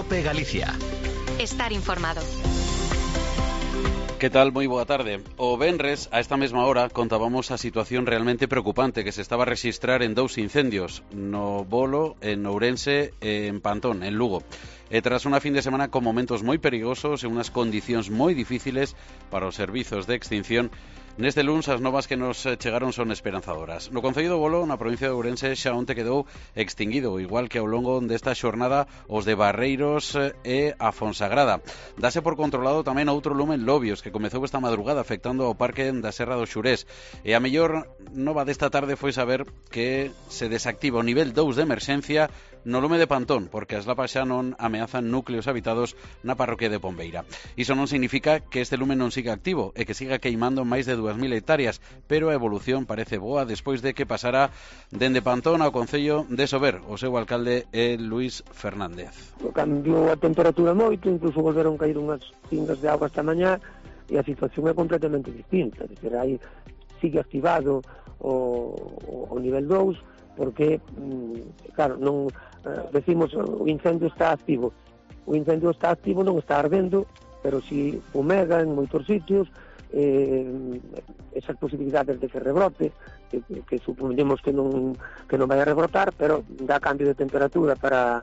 COPE Galicia. Estar informado. Que tal? Moi boa tarde. O venres, a esta mesma hora, contábamos a situación realmente preocupante que se estaba a rexistrar en dous incendios, no Bolo, en Ourense e en Pantón, en Lugo. E tras unha fin de semana con momentos moi perigosos e unhas condicións moi difíciles para os servizos de extinción, neste luns as novas que nos chegaron son esperanzadoras. No concello do Bolo, na provincia de Ourense, xa onte quedou extinguido, igual que ao longo desta xornada os de Barreiros e a Fonsagrada. Dase por controlado tamén outro lume en Lobios, que comezou esta madrugada afectando ao parque da Serra do Xurés. E a mellor nova desta tarde foi saber que se desactiva o nivel 2 de emerxencia no lume de Pantón, porque as lapas xa non ameazan núcleos habitados na parroquia de Pombeira. Iso non significa que este lume non siga activo e que siga queimando máis de 2.000 hectáreas, pero a evolución parece boa despois de que pasara dende Pantón ao concello de Sober. O seu alcalde é Luís Fernández. Cambiou a temperatura moito, incluso volveron caer unhas pingas de auga esta mañá e a situación é completamente distinta. Aí sigue activado o nivel 2 porque, claro, non decimos o incendio está activo. O incendio está activo, non está ardendo, pero si fumega en moitos sitios, esas posibilidades de que rebrote, que suponemos que non vai a rebrotar, pero dá cambio de temperatura para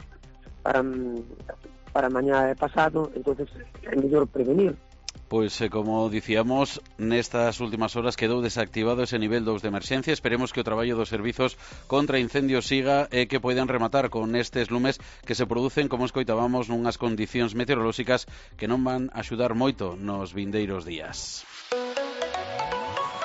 mañá e pasado, entonces é mellor prevenir. Pois, como dicíamos, nestas últimas horas quedou desactivado ese nivel 2 de emerxencia. Esperemos que o traballo dos servizos contra incendios siga e que poidan rematar con estes lumes que se producen, como escoitábamos, nunhas condicións meteorolóxicas que non van axudar moito nos vindeiros días.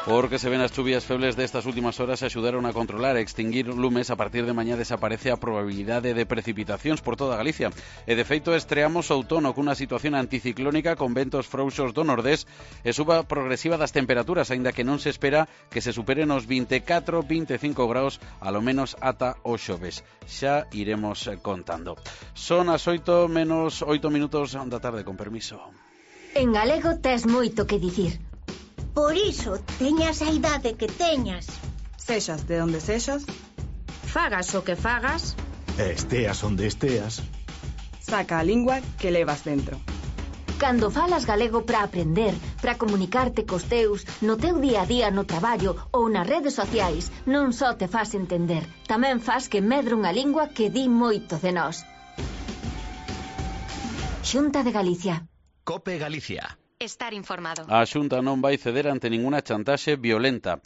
Porque se ven as chuvias febles destas últimas horas axudaron a controlar e extinguir lumes. A partir de mañá desaparece a probabilidade de precipitacións por toda Galicia. E de feito estreamos outono cunha situación anticiclónica con ventos frouxos do nordés e suba progresiva das temperaturas, aínda que non se espera que se superen os 24-25 graus alo menos ata o xoves. Xa iremos contando. Son as 8 menos 8 minutos da tarde, con permiso. En galego tes moito que dicir. Por iso, teñas a idade que teñas. Sexas de onde sexas, Fagas o que fagas, Esteas onde esteas. saca a lingua que levas dentro. Cando falas galego para aprender, para comunicarte cos teus, no teu día a día no traballo ou nas redes sociais, non só te fas entender, tamén fas que medre unha lingua que di moito de nós. Xunta de Galicia. COPE Galicia. estar informado. A Xunta non vai ceder ante ninguna chantaxe violenta.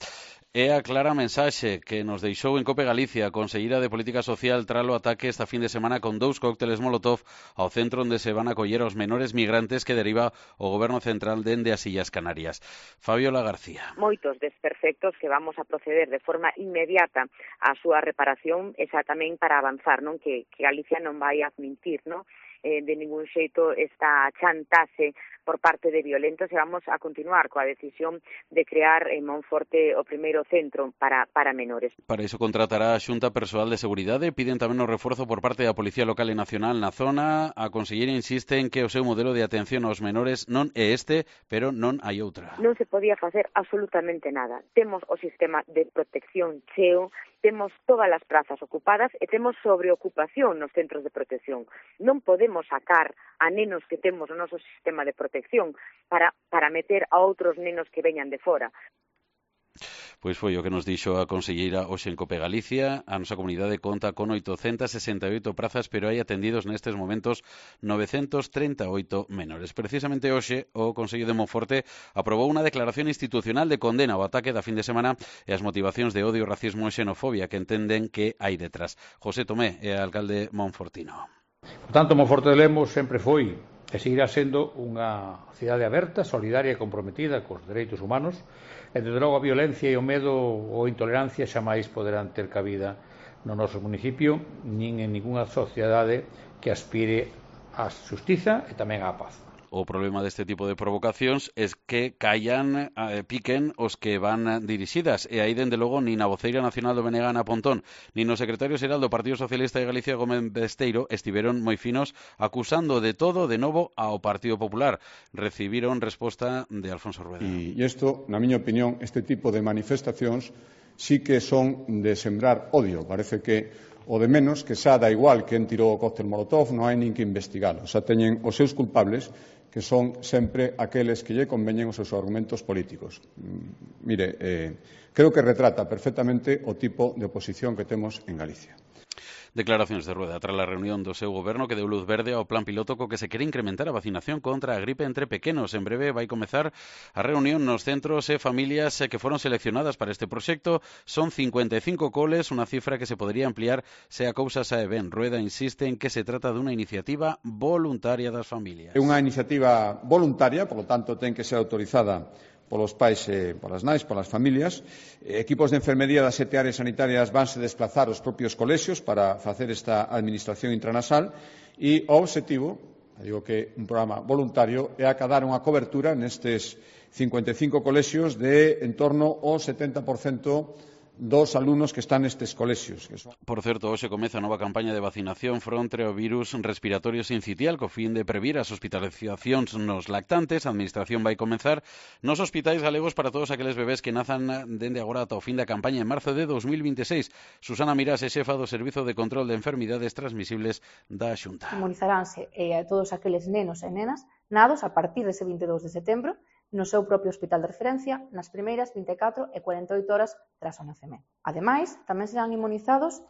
É a clara mensaxe que nos deixou en COPE Galicia a conselleira de Política Social tras o ataque esta fin de semana con 2 cócteles Molotov ao centro onde se van a acoller aos menores migrantes que deriva o Goberno Central dende as Illas Canarias. Fabiola García. Moitos desperfectos que vamos a proceder de forma inmediata á súa reparación, esa tamén para avanzar, non que Galicia non vai a admitir, non? De ningún xeito esta chantaxe por parte de violentos e vamos a continuar coa decisión de crear en Monforte o primeiro centro para menores. Para iso contratará a Xunta persoal de seguridade, piden tamén o reforzo por parte da Policía Local e Nacional na zona. A conselleira insiste en que o seu modelo de atención aos menores non é este, pero non hai outra. Non se podía facer absolutamente nada. Temos o sistema de protección cheo, temos todas as prazas ocupadas e temos sobreocupación nos centros de protección. Non podemos sacar a nenos que temos no noso sistema de protección para meter a outros nenos que veñan de fora. Pois foi o que nos dixo a conselleira hoxe en COPE Galicia. A nosa comunidade conta con 868 prazas, pero hai atendidos nestes momentos 938 menores. Precisamente hoxe o Consello de Monforte aprobou unha declaración institucional de condena ao ataque da fin de semana e as motivacións de odio, racismo e xenofobia que entenden que hai detrás. José Tomé é alcalde monfortino. Por tanto, Monforte de Lemos sempre foi e seguirá sendo unha cidade aberta, solidaria e comprometida cos dereitos humanos, e desde logo a violencia e o medo ou intolerancia xamais poderán ter cabida no noso municipio, nin en ningunha sociedade que aspire á xustiza e tamén á paz. O problema deste tipo de provocacións é que piquen os que van dirixidas, e aí, dende logo, nin a voceira nacional do BNG Ana Pontón, nin o secretario xeral do Partido Socialista de Galicia Gómez Besteiro estiveron moi finos acusando de todo de novo ao Partido Popular. Recibiron resposta de Alfonso Rueda. E isto, na miña opinión, este tipo de manifestacións sí que son de sembrar odio. Parece que o de menos que xa da igual quen tirou o cóctel molotov, non hai nin que investigalo. Xa teñen os seus culpables, que son sempre aqueles que lle conveñen os seus argumentos políticos. Creo que retrata perfectamente o tipo de oposición que temos en Galicia. Declaracións de Rueda tras a reunión do seu goberno que deu luz verde ao plan piloto co que se quere incrementar a vacinación contra a gripe entre pequenos. En breve vai comezar a reunión nos centros e familias que foron seleccionadas para este proxecto. Son 55 coles, unha cifra que se podría ampliar se a cousa sae ben. Rueda insiste en que se trata dunha iniciativa voluntaria das familias. É unha iniciativa voluntaria, por lo tanto, ten que ser autorizada polos pais e polas nais, polas familias. Equipos de enfermería das 7 áreas sanitarias vanse desplazar aos propios colexios para facer esta administración intranasal e o obxectivo, digo que un programa voluntario, é acadar unha cobertura nestes 55 colexios de en torno ao 70% dos alumnos que están nestes colexios. Por certo, hoxe comeza a nova campaña de vacinación fronte ao virus respiratorio sincitial co fin de previr as hospitalizacións nos lactantes. A Administración vai comenzar nos hospitais galegos para todos aqueles bebés que nazan dende agora ata o fin da campaña en marzo de 2026. Susana Mirás é xefa do Servizo de Control de Enfermidades Transmisibles da Xunta. Inmunizaránse a todos aqueles nenos e nenas nados a partir dese 22 de setembro no seu propio hospital de referencia nas primeiras 24 e 48 horas tras o nacemento. Ademais, tamén serán inmunizados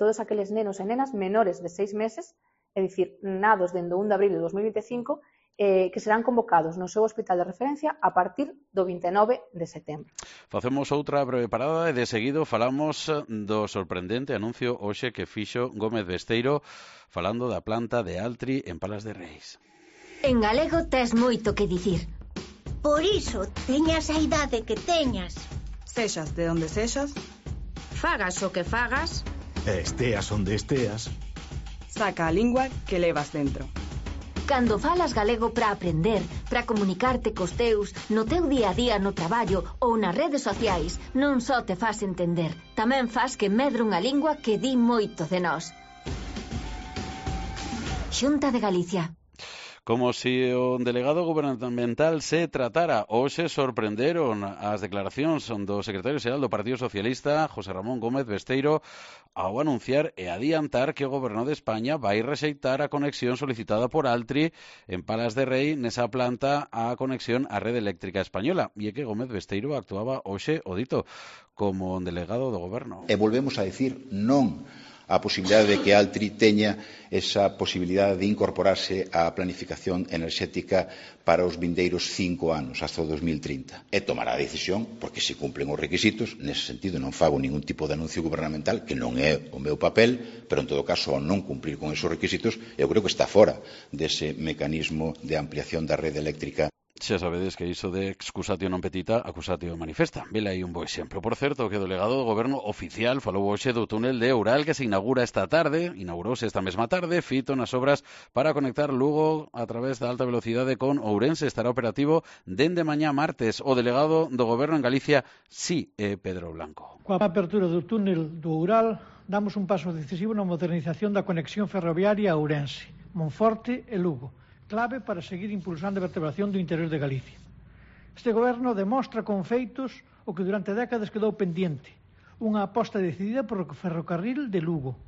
todos aqueles nenos e nenas menores de 6 meses, é dicir, nados dende o 1 de abril de 2025, que serán convocados no seu hospital de referencia a partir do 29 de setembro. Facemos outra breve parada e de seguido falamos do sorprendente anuncio hoxe que fixo Gómez Besteiro falando da planta de Altri en Palas de Reis. En galego tes moito que dicir. Por iso, teñas a idade que teñas. Sexas de onde sexas. Fagas o que fagas. Esteas onde esteas. Saca a lingua que levas dentro. Cando falas galego para aprender, para comunicarte cos teus, no teu día a día no traballo ou nas redes sociais, non só te fas entender, tamén fas que medre unha lingua que di moito de nós. Xunta de Galicia. Como se o delegado gubernamental se tratara. Hoxe sorprenderon as declaracións do secretario xeral do Partido Socialista, José Ramón Gómez Besteiro, ao anunciar e adiantar que o Goberno de España vai rexeitar a conexión solicitada por Altri en Palas de Rei nesa planta a conexión á rede eléctrica española. E é que Gómez Besteiro actuaba hoxe, o dito, como delegado do Goberno. E volvemos a decir non a posibilidade de que Altri teña esa posibilidade de incorporarse á planificación enerxética para os vindeiros 5 anos, hasta o 2030. E tomará a decisión, porque se cumplen os requisitos, nese sentido non fago ningún tipo de anuncio gubernamental, que non é o meu papel, pero en todo caso, ao non cumplir con esos requisitos, eu creo que está fora dese mecanismo de ampliación da rede eléctrica. Xa sabedes que iso de excusatio non petita, accusatio manifesta. Vela aí un bo exemplo. Por certo, que o delegado do Goberno oficial falou hoxe do túnel de Oural que se inaugura esta tarde, inaugurouse esta mesma tarde, fito nas obras para conectar Lugo a través da alta velocidade con Ourense. Estará operativo dende mañá martes. O delegado do Goberno en Galicia, sí, é Pedro Blanco. Coa apertura do túnel do Oural, damos un paso decisivo na modernización da conexión ferroviaria a Ourense, Monforte e Lugo, clave para seguir impulsando a vertebración do interior de Galicia. Este goberno demostra con feitos o que durante décadas quedou pendiente, unha aposta decidida por o ferrocarril de Lugo.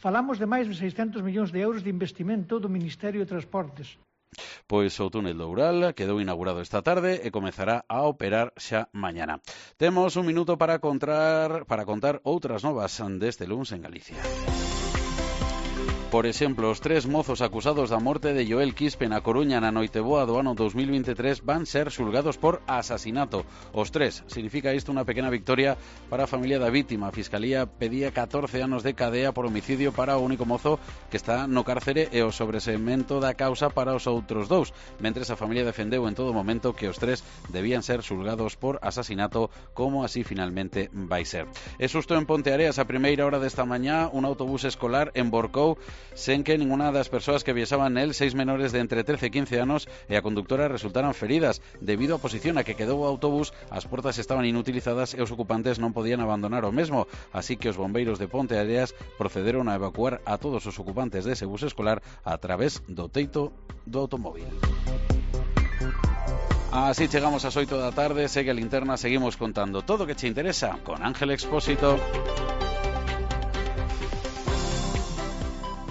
Falamos de máis de 600 millóns de euros de investimento do Ministerio de Transportes. Pois o túnel do Oural quedou inaugurado esta tarde e comezará a operar xa mañana. Temos un minuto para contar outras novas deste luns en Galicia. Por exemplo, os 3 mozos acusados da morte de Joel Quispe na Coruña na Noiteboa do ano 2023 van ser xulgados por asasinato. Os 3. Significa isto unha pequena victoria para a familia da vítima. A Fiscalía pedía 14 anos de cadea por homicidio para o único mozo que está no cárcere e o sobresemento da causa para os outros 2, mentres a familia defendeu en todo momento que os 3 debían ser xulgados por asasinato, como así finalmente vai ser. É susto en Ponteareas a primeira hora desta mañá, un autobús escolar emborcou sen que ninguna das persoas que viaxaban nel, 6 menores de entre 13 e 15 anos, e a conductora resultaran feridas. Debido á posición a que quedou o autobús, as portas estaban inutilizadas e os ocupantes non podían abandonar o mesmo, así que os bombeiros de Ponteareas procederon a evacuar a todos os ocupantes dese bus escolar a través do teito do automóvil. Así chegamos ás 8 da tarde, segue a linterna, seguimos contando todo o que che interesa con Ángel Expósito.